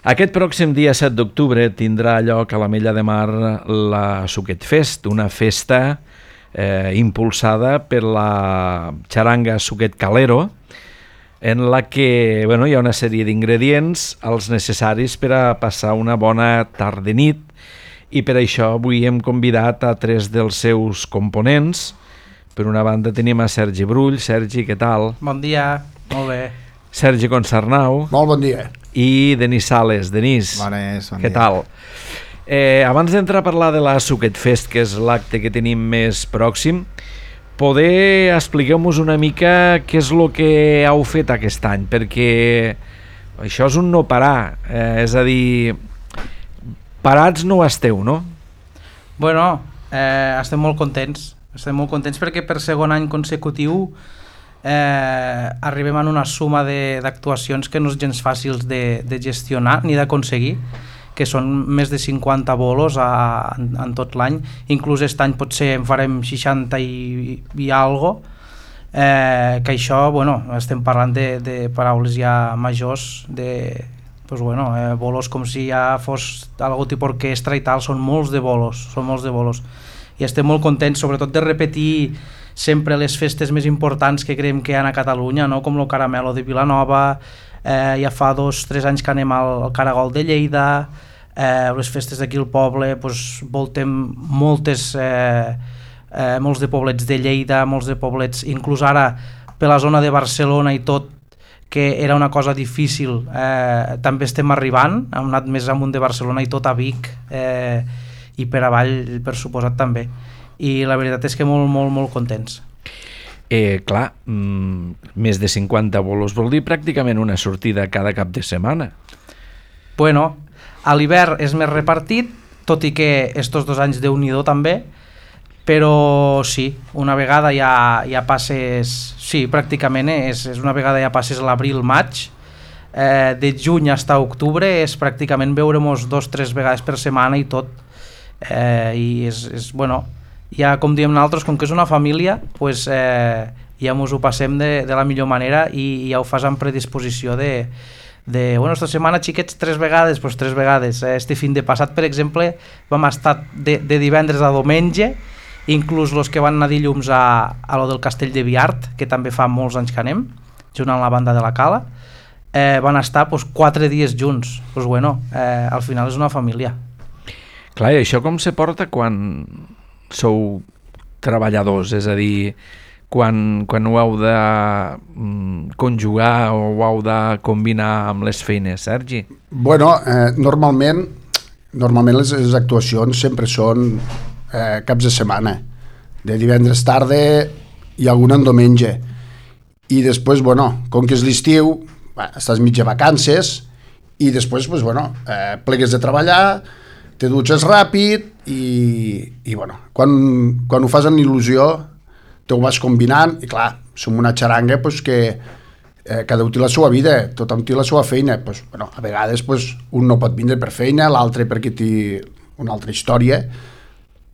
Aquest pròxim dia 7 d'octubre tindrà lloc a l'Ametlla de Mar la Suquet Fest, una festa impulsada per la xaranga Suquet Calero, en la que hi ha una sèrie d'ingredients, els necessaris per a passar una bona tarda-nit, i per això avui hem convidat a 3 dels seus components. Per una banda tenim a Sergi Brull. Sergi, què tal? Bon dia, molt bé. Sergi Consarnau. Molt bon dia. I Denis Sales. Denis, bon què tal? Abans d'entrar a parlar de la Suquet Fest, que és l'acte que tenim més pròxim, poder expliqueu-nos una mica què és el que heu fet aquest any, perquè això és un no parar, és a dir, parats no esteu, no? Bueno, estem molt contents perquè per segon any consecutiu arribem a una suma d'actuacions que no és gens fàcils de gestionar ni d'aconseguir, que són més de 50 bolos en tot l'any. Inclús aquest any potser en farem 60 i algo, que això, estem parlant de paraules ja majors, bolos com si ja fos algun tipus d'orquestra i tal. Són molts de bolos, i estem molt contents, sobretot de repetir sempre les festes més importants que creiem que hi ha a Catalunya, no? Com el Caramelo de Vilanova, ja fa 2-3 anys que anem al Caragol de Lleida, les festes d'aquí al poble, voltem molts de poblets de Lleida, molts de poblets, inclús ara per la zona de Barcelona i tot, que era una cosa difícil, també estem arribant, hem anat més amunt de Barcelona i tot, a Vic, i per avall, per suposat, també. I la veritat és que molt contents. Clar, més de 50 bolos vol dir pràcticament una sortida cada cap de setmana. Bueno, a l'hivern és més repartit, tot i que estos 2 anys Déu-n'hi-do també, però sí, una vegada ja passes, sí, pràcticament és una vegada ja passes l'abril-maig, de juny fins a octubre és pràcticament veure-mos 2-3 vegades per setmana i tot, i és ja com diem nosaltres, com que és una família, ja mos ho passem de la millor manera i ja ho fas amb predisposició esta setmana, xiquets, 3 vegades, 3 vegades. Este fin de passat, per exemple, vam estar de divendres a diumenge, inclús els que van anar dilluns a lo del Castell de Viart, que també fa molts anys que anem, junt amb la banda de la Cala, van estar 4 dies junts. Al final és una família. Clar, i això com se porta quan sou treballadors? És a dir, quan ho heu de conjugar o ho heu de combinar amb les feines, Sergi? Normalment les actuacions sempre són caps de setmana, de divendres tarda i alguna en diumenge, i després, com que és l'estiu, estàs mitja vacances i després, plegues de treballar, te dutxes ràpid i quan ho fas amb il·lusió te ho vas combinant, i clar, som una xaranga que cada un té la seva vida, tothom té la seva feina, a vegades un no pot vindre per feina, l'altre perquè té una altra història,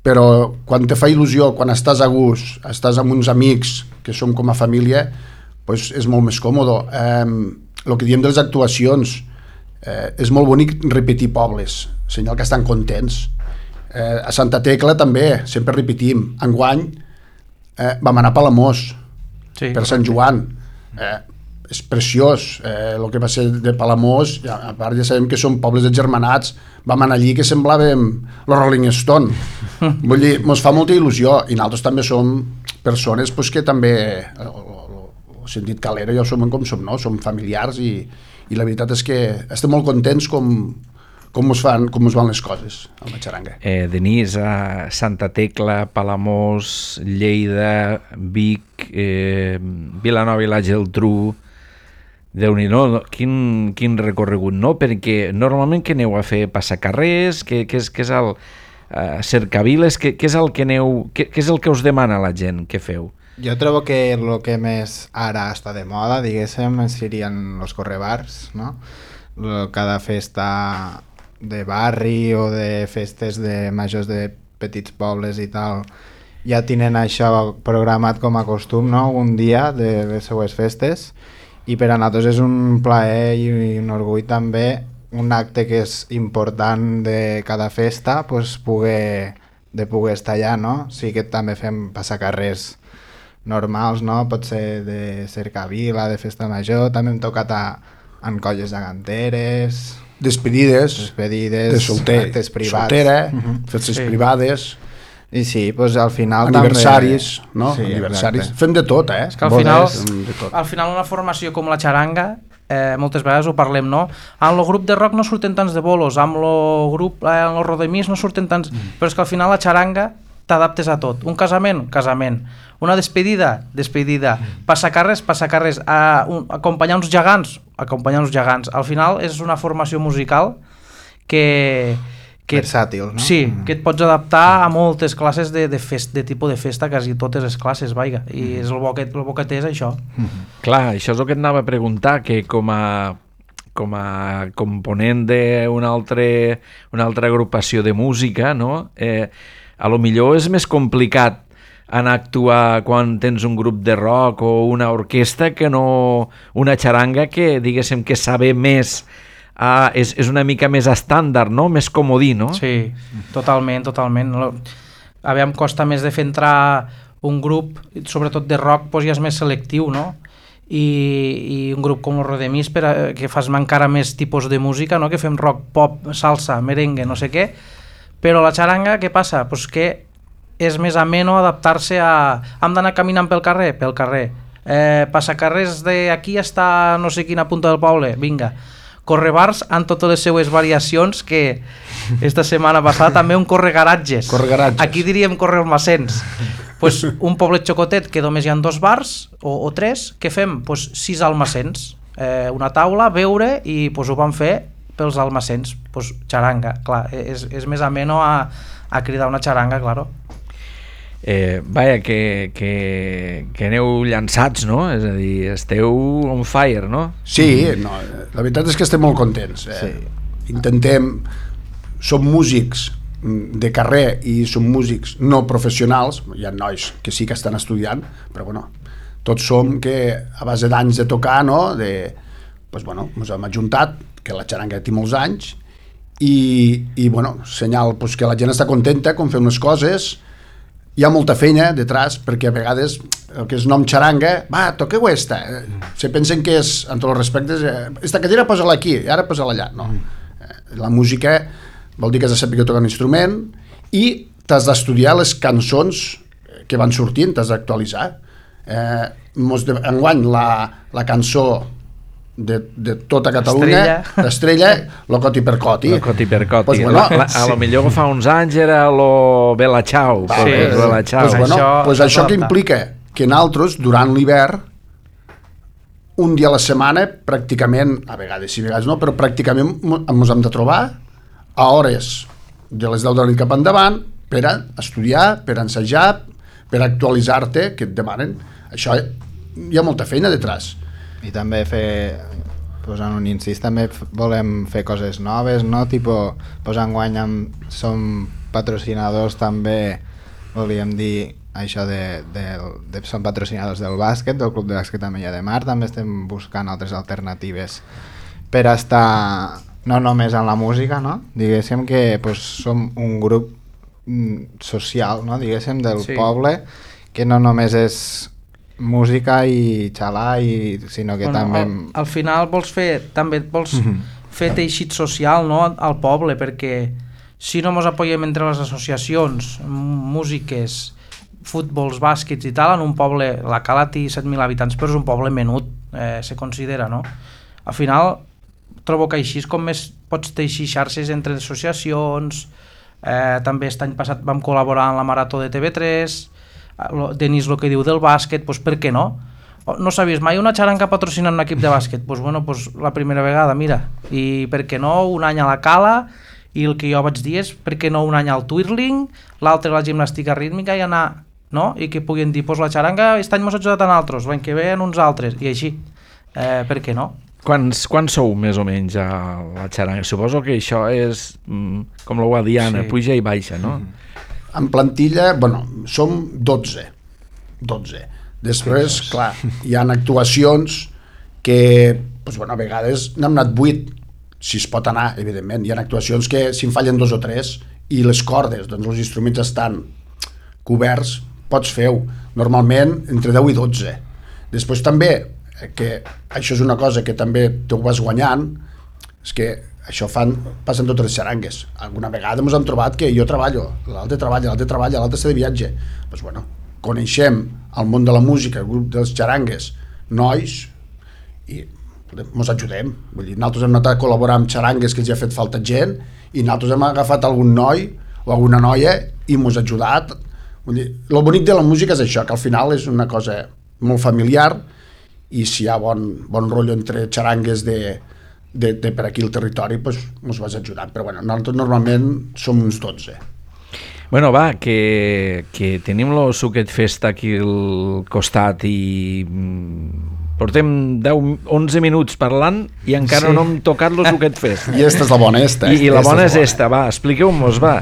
però quan te fa il·lusió, quan estàs a gust, estàs amb uns amics que som com a família, és molt més còmode. El que diem de les actuacions, és molt bonic repetir pobles, senyal que estan contents. A Santa Tecla també, sempre repetim. Enguany vam anar a Palamós, per Sant Joan. És preciós, el que va ser de Palamós, a part ja sabem que són pobles agermanats, vam anar allí que semblàvem los Rolling Stone. Vull dir, ens fa molta il·lusió, i nosaltres també som persones que també, el sentit calero ja ho som com som, no? Som familiars, i la veritat és que estem molt contents com es van les coses amb la xaranga. Denis, a Santa Tecla, Palamós, Lleida, Vic, Vilanova i la Geltrú, Déu-n'hi-do, quin recorregut, no? Perquè normalment què aneu a fer? Passacarrers? Què és el cercaviles? Què és el que us demana la gent que feu? Jo trobo que el que més ara està de moda, diguéssim, serien els correbars, no? Cada festa de barri o de festes de majors de petits pobles i tal, ja tenen això programat com a costum, no? Un dia de les seues festes, i per a nosaltres és un plaer i un orgull també un acte que és important de cada festa, pues, poder estar allà, no? Sí que també fem passacarrers normals, no? Pot ser de cercavila, de festa major, també hem tocat en colles de ganteres, despedides, de actes privats, soltera, festes privades, i sí, doncs al final aniversaris, també... no? Sí, aniversaris. Fem de tot, És que al final una formació com la xaranga, moltes vegades ho parlem, no? En el grup de rock no surten tants de bolos, amb el grup, en el rodemís no surten tants... Però és que al final la xaranga t'adaptes a tot. Un casament, casament. Una despedida, despedida. Passacarrers, acompanyar uns gegants, acompanyar uns gegants. Al final és una formació musical que versàtil, no? Sí, que et pots adaptar a moltes classes de tipus de festa, quasi totes les classes, vaiga. I és el bo que té és això. Clar, això és el que et anava a preguntar, que com a component d'una altra agrupació de música, no? A lo millor és més complicat anar a actuar quan tens un grup de rock o una orquestra que no una xaranga que, diguéssim, que saber més, és una mica més estàndard, no? Més comodí, no? Sí, totalment. Aviam, costa més de fer entrar un grup, sobretot de rock, doncs ja és més selectiu, no? I un grup com el Rodemís, que fas encara més tipus de música, no? Que fem rock, pop, salsa, merengue, no sé què, però la xaranga, què passa? Pues que és més ameno adaptar-se a... Hem d'anar caminant pel carrer? Pel carrer. Passacarrers d'aquí està no sé quina punta del poble? Vinga. Correbars en totes les seues variacions, que esta setmana passada també un corregaratges. Aquí diríem correalmacens. Pues un poblet xocotet que només hi ha 2 bars o 3, què fem? Pues 6 almacens. Una taula, beure, i pues ho vam fer pels almacens. Pues xaranga, clar, és més ameno a cridar una xaranga, claro. Vaja, que aneu llançats, no? És a dir, esteu on fire, no? Sí, no, la veritat és que estem molt contents. Sí. Som músics de carrer i som músics no professionals, hi ha nois que sí que estan estudiant, però bueno, tots som que a base d'anys de tocar, no? Pues bueno, ens hem ajuntat, que la xaranga té molts anys, i bueno, senyal pues, que la gent està contenta com fem les coses. Hi ha molta feina detrás, perquè a vegades el que és nom xaranga, va, toqueu esta. Se pensen que és, en tots els respectes, esta cadira posa-la aquí, i ara posa-la allà. No. La música vol dir que has de saber tocar un instrument i t'has d'estudiar les cançons que van sortint, t'has d'actualitzar. Enguany la cançó de tota Catalunya, d'Estrella, lo coti per coti. Lo coti per coti. Pues bueno, a lo millor fa uns anys era lo Bella Ciao. Pues això que implica que nosaltres, durant l'hivern, un dia a la setmana, pràcticament, a vegades sí, a vegades no, però pràcticament ens hem de trobar a hores de les 10 de la nit cap endavant per a estudiar, per a ensejar, per a actualitzar-te, que et demanen. Això hi ha molta feina detrás. I també posant un incís, també volem fer coses noves, no? Tipo, enguany som patrocinadors també, volíem dir això som patrocinadors del bàsquet, del Club de Bàsquet Amella de Mar, també estem buscant altres alternatives per estar no només en la música, no? Diguéssim que som un grup social, no? Diguéssim, del poble, que no només és música i xalar, sinó que també... Al final vols fer teixit social, no? Al poble, perquè si no ens apoyem entre les associacions, músiques, futbols, bàsquets i tal, en un poble, la Cala té 7.000 habitants, però és un poble menut, se considera, no? Al final trobo que així és com més pots teixir xarxes entre associacions. També aquest any passat vam col·laborar en la Marató de TV3, Denis el que diu del bàsquet, doncs per què no? No sabies mai una xaranga patrocinant un equip de bàsquet? Doncs bueno, la primera vegada, mira, i per què no un any a la Cala, i el que jo vaig dir és per què no un any al twirling, l'altre a la gimnàstica rítmica i anar, no? I que puguin dir, doncs la xaranga aquest any m'ha ajudat a nosaltres, l'any que ve en uns altres, i així, per què no? Quants sou més o menys a la xaranga? Suposo que això és com la Guadiana, sí. Puja i baixa, no? En plantilla, bueno, som 12. Després, clar, hi ha actuacions que, doncs, bueno, a vegades n'hem anat 8. si es pot anar, evidentment. Hi ha actuacions que si en fallen 2 o 3 i les cordes, doncs els instruments estan coberts, pots fer-ho. Normalment entre 10 i 12. Després també, que això és una cosa que també te ho vas guanyant, és que això passen totes les xarangues. Alguna vegada ens hem trobat que jo treballo, l'altre treballa, l'altre està de viatge. Doncs bueno, coneixem el món de la música, el grup dels xarangues, nois, i ens ajudem. Vull dir, nosaltres hem anat a col·laborar amb xarangues que els ha fet falta gent i nosaltres hem agafat algun noi o alguna noia i ens ha ajudat. Vull dir, el bonic de la música és això, que al final és una cosa molt familiar i si hi ha bon rotllo entre xarangues de per aquí el territori, doncs ens vas ajudant. Però bueno, nosaltres normalment som uns 12. Bueno, va, que tenim el Suquet Fest aquí al costat i portem 11 minuts parlant i encara no hem tocat el Suquet Fest. I esta és la bona, esta. I la bona és esta, va, expliqueu-nos, va.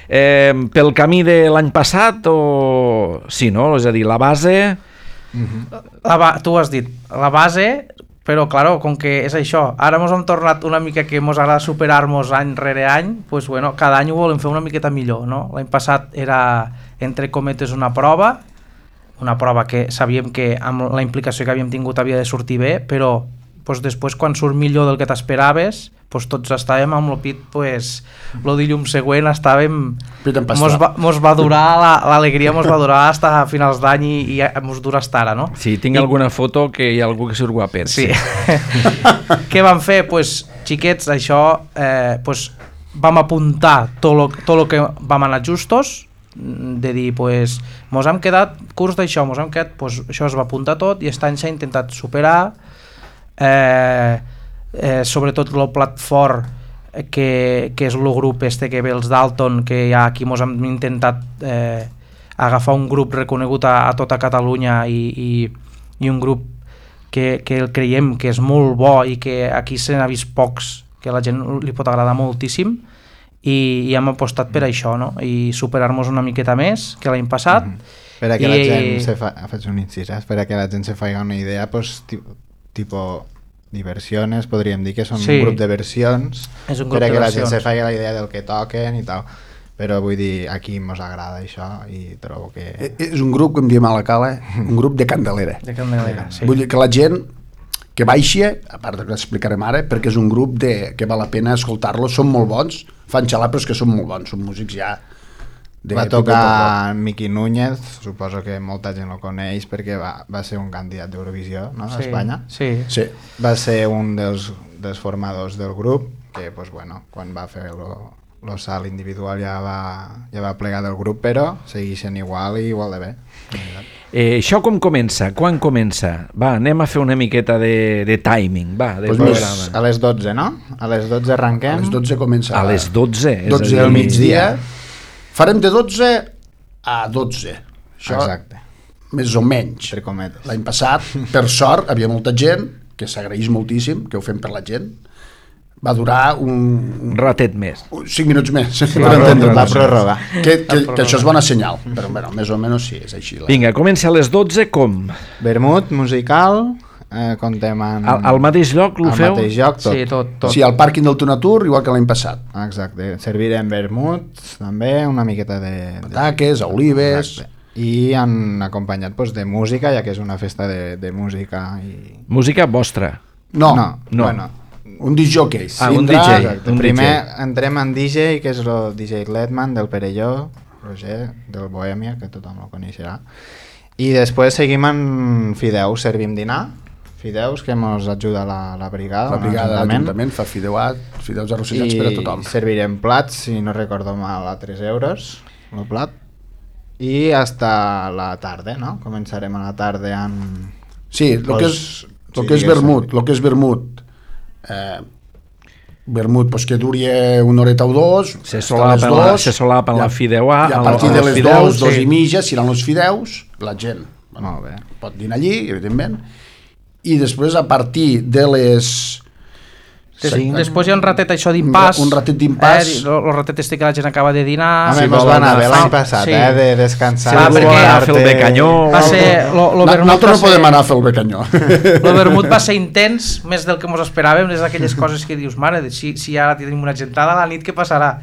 Pel camí de l'any passat o... Sí, no? És a dir, la base... Tu has dit, la base, però claro, com que és això, ara ens hem tornat una mica que ens agrada superar-nos any rere any, pues bueno, cada any ho volem fer una miqueta millor, no? L'any passat era, entre cometes, una prova que sabíem que amb la implicació que havíem tingut havia de sortir bé, però pues, després quan surt millor del que t'esperaves, pues, tots estàvem amb el pit, pues, el dilluns següent estàvem... Mos va durar, l'alegria mos va durar fins a finals d'any i mos dura hasta ara, no? Sí, tinc alguna foto que hi ha algú que surt guapet. Sí. Què vam fer? Pues, xiquets, això, pues, vam apuntar tot lo que vam anar justos, de dir, pues, mos hem quedat curs d'això, pues, això es va apuntar tot i aquest any s'ha intentat superar, sobretot el plat fort que és el grup que ve els Dalton, que ja aquí mos hem intentat agafar un grup reconegut a tota Catalunya i un grup que el creiem que és molt bo i que aquí se n'ha vist pocs, que a la gent li pot agradar moltíssim i hem apostat per això, no? I superar-nos una miqueta més que l'any passat. Per a que la gent faig un incís, per a que la gent se faci una idea, pues, tipo diversiones, podríem dir que són un grup de versions, per a que la gent se faci la idea del que toquen i tal, però vull dir, aquí mos agrada això i trobo que... És un grup, com diem a la Cala, un grup de candelera. De candelera, sí. Vull dir que la gent que baixi, a part que l'explicarem ara, perquè és un grup que val la pena escoltar-los, són molt bons, fan xalar, però és que són molt bons, són músics ja... Va tocar Miqui Núñez, suposo que molta gent lo coneix perquè va ser un candidat d'Eurovisió, no? A Espanya. Sí. Va ser un dels formadors del grup, que pues, bueno, quan va fer el salt individual ja va plegar del grup, però segueixen igual de bé. Això com comença? Quan comença? Va, anem a fer una miqueta de timing, va, de programa. A les 12, no? A les 12 arrenquem. A les 12 comença. A les 12? 12 del migdia. Farem de 12 a 12. Això, exacte. Més o menys. L'any passat, per sort, havia molta gent, que s'agraeix moltíssim, que ho fem per la gent. Va durar un ratet més. 5 minuts més. La pròrroga. Que això és bona senyal, però bueno, més o menys sí, és així. Vinga, comença a les 12, com? Vermut musical, contem en... Al mateix lloc ho feu? Al mateix lloc, tot. Sí, tot. Sí, al pàrquing del Tunatur, igual que l'any passat. Exacte, servirem vermut, també, una miqueta de... Pataques, olives... Exacte. I han acompanyat pues, de música, ja que és una festa de música. Música vostra? No. Bueno, un discjockey. Un DJ. Primer entrem en DJ, que és el DJ Letman del Perelló, Roger, del Bohèmia, que tothom el coneixerà. I després seguim en fideus, servim dinar, fideus que ens ajuda la brigada. La brigada de l'Ajuntament fa fideus arrossegats per a tothom. I servirem plats, si no recordo mal, a 3 euros el plat. I hasta la tarda, no? Començarem a la tarda amb... Sí, el que és vermut, vermut pues, que duri una horeta o dos, se solapa la fideuà, i a partir de les 2 i mitja seran els fideus, la gent pot dinar allí, evidentment, i després a partir de les Després hi ha un ratet això d'impàs. Un ratet d'impàs. El ratet este que la gent acaba de dinar. Home, mos va anar bé l'any passat, de descansar. Perquè fer el becanyó. Va ser... Nosaltres no podem anar a fer el becanyó. El vermut va ser intens, més del que ens esperàvem, és d'aquelles coses que dius, mare, si ara tenim una gentada a la nit, què passarà?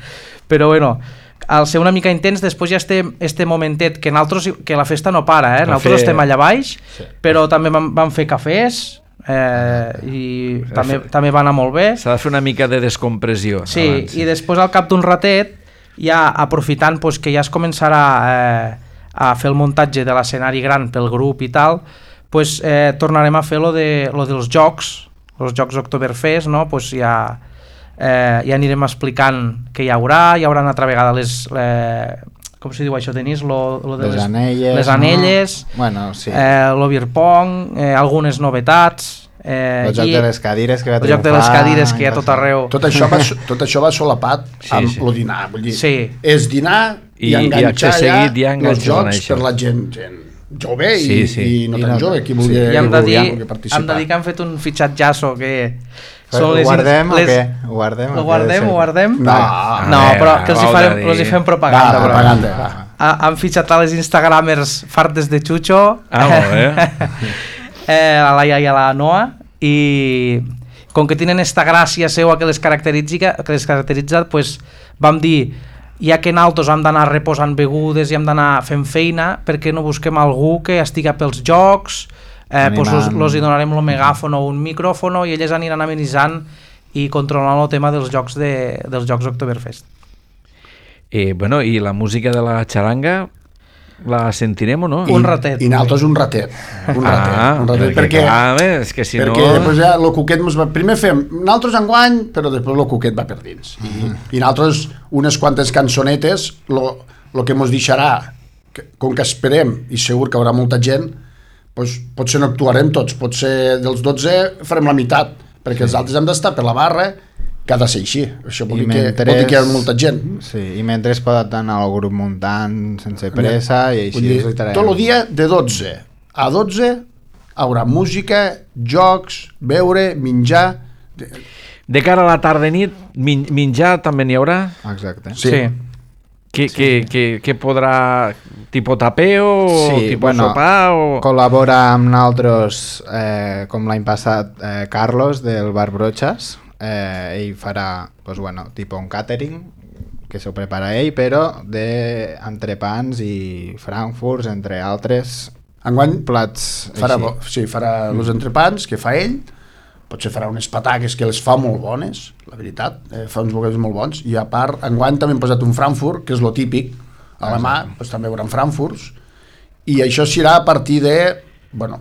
Però bueno, al ser una mica intens, després ja este momentet que la festa no para, nosaltres estem allà baix, però també vam fer cafès, i també va anar molt bé. S'ha de fer una mica de descompressió. Sí, abans. I després al cap d'un ratet, ja aprofitant que ja es començarà a fer el muntatge de l'escenari gran pel grup i tal, tornarem a fer lo dels jocs, els jocs Oktoberfest, no? Ja anirem explicant què hi haurà una altra vegada com se diu això, Denis? Les anelles. Les anelles, no? Bueno, sí. Lo beer pong, algunes novetats. El joc de les cadires que va triomfar. El joc de les cadires que hi ha tot arreu. Tot això va solapat amb el dinar. Vull dir, és dinar i enganxar ja els jocs per la gent jove i no tan jove, qui vulgui participar. Hem de dir que han fet un fitxatjasso que... Ho guardem o què? Ho guardem? No, però que els hi fem propaganda. Han fitxat a les instagramers fartes de Chucho, a la Laia i a la Noa, i com que tenen esta gràcia seua que les caracteritza, vam dir, ja que nosaltres hem d'anar reposant begudes i hem d'anar fent feina, per què no busquem algú que estiga pels jocs, los hi donarem el megàfon o un micròfon i elles aniran amenitzant i controlant el tema dels jocs Oktoberfest. Bueno, i la música de la xaranga la sentirem o no? Un ratet. I nosaltres un ratet. Perquè és que si no... Perquè ja el Cuquet primer fem nosaltres enguany, però després el Cuquet va per dins. I nosaltres unes quantes cançonetes, el que ens deixarà, com que esperem, i segur que hi haurà molta gent, potser no actuarem tots, potser dels 12 farem la meitat, perquè els altres hem d'estar per la barra, que ha de ser així. Això vol dir que hi ha molta gent. Sí, i mentre es pot anar al grup muntant sense pressa i així. Tot el dia de 12 a 12 hi haurà música, jocs, beure, menjar. De cara a la tarda i nit, menjar també n'hi haurà? Exacte. Sí. Que podrà tipus tapeo o tipus sopar? Col·labora amb nosaltres, com l'any passat, Carlos del Bar Brochas. Ell farà tipus un catering que s'ho prepara ell, però d'entrepans i frankfurts, entre altres plats. Farà els entrepans que fa ell, potser farà unes pataques que les fa molt bones, la veritat, fa uns bocadillos molt bons, i a part, enguany també hem posat un frankfurt, que és lo típic, a la mà, també hi haurà frankfurts, i això serà a partir de,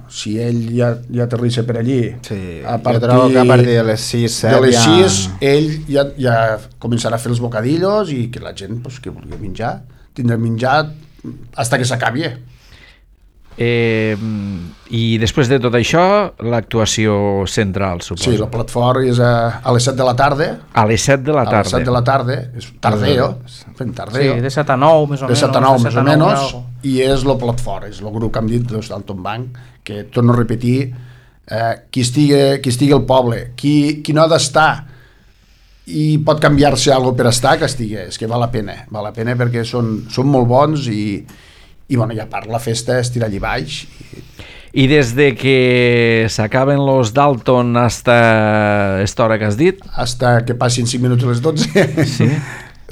si ell ja aterrissa per allí, jo trobo que a partir de les 6, 7, de les 6, ell ja començarà a fer els bocadillos i que la gent que vulgui menjar, tindrà menjar fins que s'acabi. I després de tot això, l'actuació central, suposo. Sí, el plat fort és a les 7 de la tarda. A les 7 de la tarda. A les 7 de la tarda, és tardeo, fent tardeo. Sí, de 7 a 9, més o menys. De 7 a 9, més o menys, i és el plat fort, és el grup que hem dit dels Dalton Bank, que torno a repetir, qui estigui al poble, qui no ha d'estar i pot canviar-se alguna per estar, que estigui, és que val la pena perquè són molt bons i a part la festa es tira allí baix. I des de que s'acaben los Dalton hasta esta hora que has dit? Hasta que passin 5 minuts a les 12. Sí.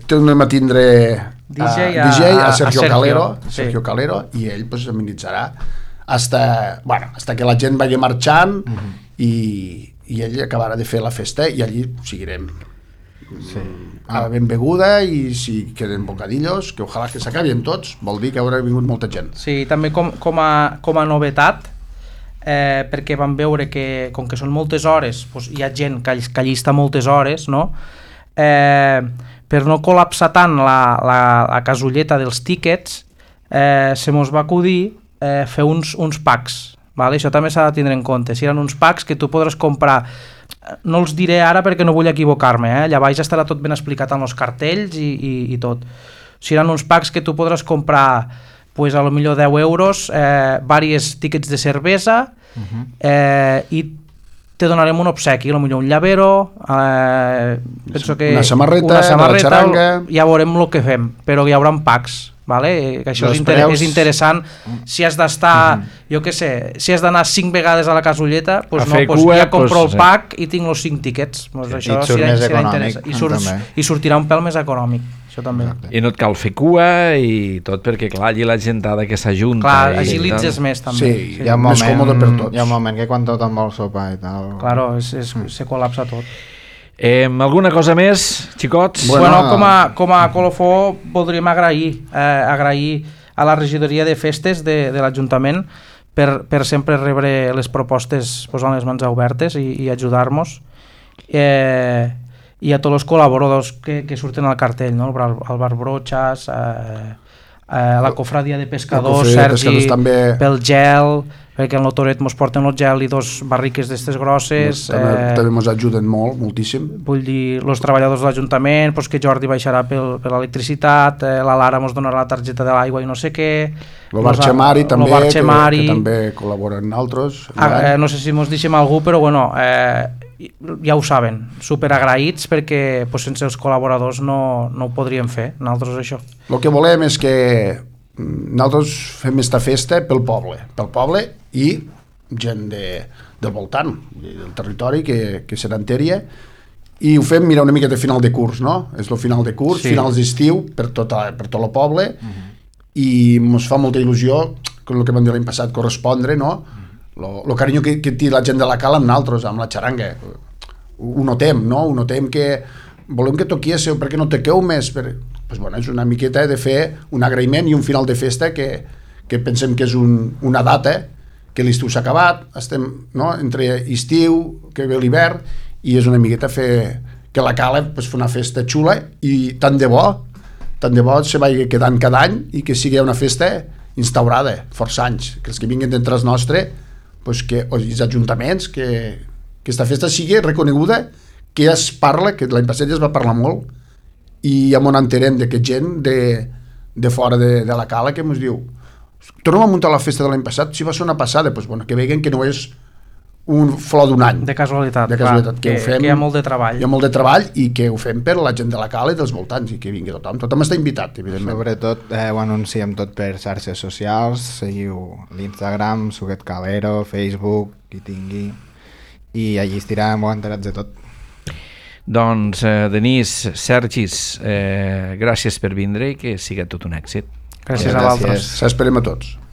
Tornem a tindre DJ a Sergio Calero, i ell amenitzarà hasta que la gent vagi marxant i ell acabarà de fer la festa i allí seguirem. Ben beguda, i si queden bocadillos, que ojalà que s'acabin tots, vol dir que haurà vingut molta gent. Sí, també com a novetat, perquè vam veure que com que són moltes hores, hi ha gent que allista moltes hores, no? Per no col·lapsar tant la casulleta dels tíquets, se mos va acudir fer uns packs, vale? Això també s'ha de tindre en compte. Si eren uns packs que tu podràs comprar, no els diré ara perquè no vull equivocar-me, allà baix estarà tot ben explicat en els cartells i tot. Si eren uns packs que tu podràs comprar a lo millor 10 euros, diversos tíquets de cervesa, i te donarem un obsequi, potser un llavero, penso que una samarreta de la xaranga, ja veurem el que fem, però hi haurà packs, vale? Que això és interessant. Si has d'estar, jo què sé, si has d'anar 5 vegades a la casulleta, pues no, pues ja compro el pack i tinc els 5 tiquets, pues això serà interessant i sortirà un pèl més econòmic, això també. I no et cal fer cua i tot, perquè clar, allí la gentada que s'ajunta, clar, agilitzes més també. Sí, hi ha un moment, hi ha un moment que quan tothom vol sopar i tal, claro, se col·lapsa tot. Alguna cosa més, xicots? Bueno, com a colofó voldríem agrair a la regidoria de festes de l'Ajuntament per sempre rebre les propostes posant les mans obertes i ajudar-nos, i a tots els col·laboradors que surten al cartell, no? El Bar Brochas, la cofradia de pescadors, Sergi, pel gel, perquè en l'Otoret ens porten el gel i 2 barriques d'estes grosses. També ens ajuden moltíssim. Vull dir, els treballadors de l'Ajuntament, doncs que Jordi baixarà per l'electricitat, la Lara ens donarà la targeta de l'aigua i no sé què. El Bar Xemari també, que també col·laboren altres. No sé si ens deixem algú, però bueno, ja ho saben, superagraïts perquè sense els col·laboradors no ho podríem fer, nosaltres això. El que volem és que nosaltres fem esta festa pel poble i gent del voltant, del territori que se n'enteria, i ho fem, mira, una mica de final de curs, no? És el final de curs, sí. Finals d'estiu per tot el poble, i ens fa molta il·lusió, com el que vam dir l'any passat, correspondre, no? El carinyo que té la gent de la cala amb nosaltres, amb la xaranga. Ho notem, no? Ho notem que volem que toquiéssiu, perquè no toqueu més, pues bueno, és una miqueta de fer un agraïment i un final de festa que pensem que és una data, que l'estiu s'ha acabat, estem, no? Entre estiu, que ve l'hivern, i és una miqueta fer que la cala pues, fa una festa xula, i tant de bo se vagi quedant cada any i que sigui una festa instaurada, força anys, que els que vinguin d'entre els nostres, pues, els ajuntaments, que aquesta festa sigui reconeguda, que es parla, que l'any passat ja es va parlar molt, i ja m'ho enterem de que gent de fora de la cala que ens diu, tornem a muntar la festa de l'any passat, si va ser una passada, pues, bueno, que veguen que no és un flor d'un any. De casualitat, que ho fem, que hi ha molt de treball. Hi ha molt de treball i que ho fem per la gent de la cala i dels voltants, i que vingui tothom. Tothom està invitat, evidentment. Sobretot ho anunciem tot per xarxes socials, seguiu l'Instagram, Suquet Calero, Facebook, qui tingui, i allí estirem molt enterats de tot. Doncs, Denís, Sergis, gràcies per vindre i que sigui tot un èxit. Gràcies a vosaltres. S'esperem a tots.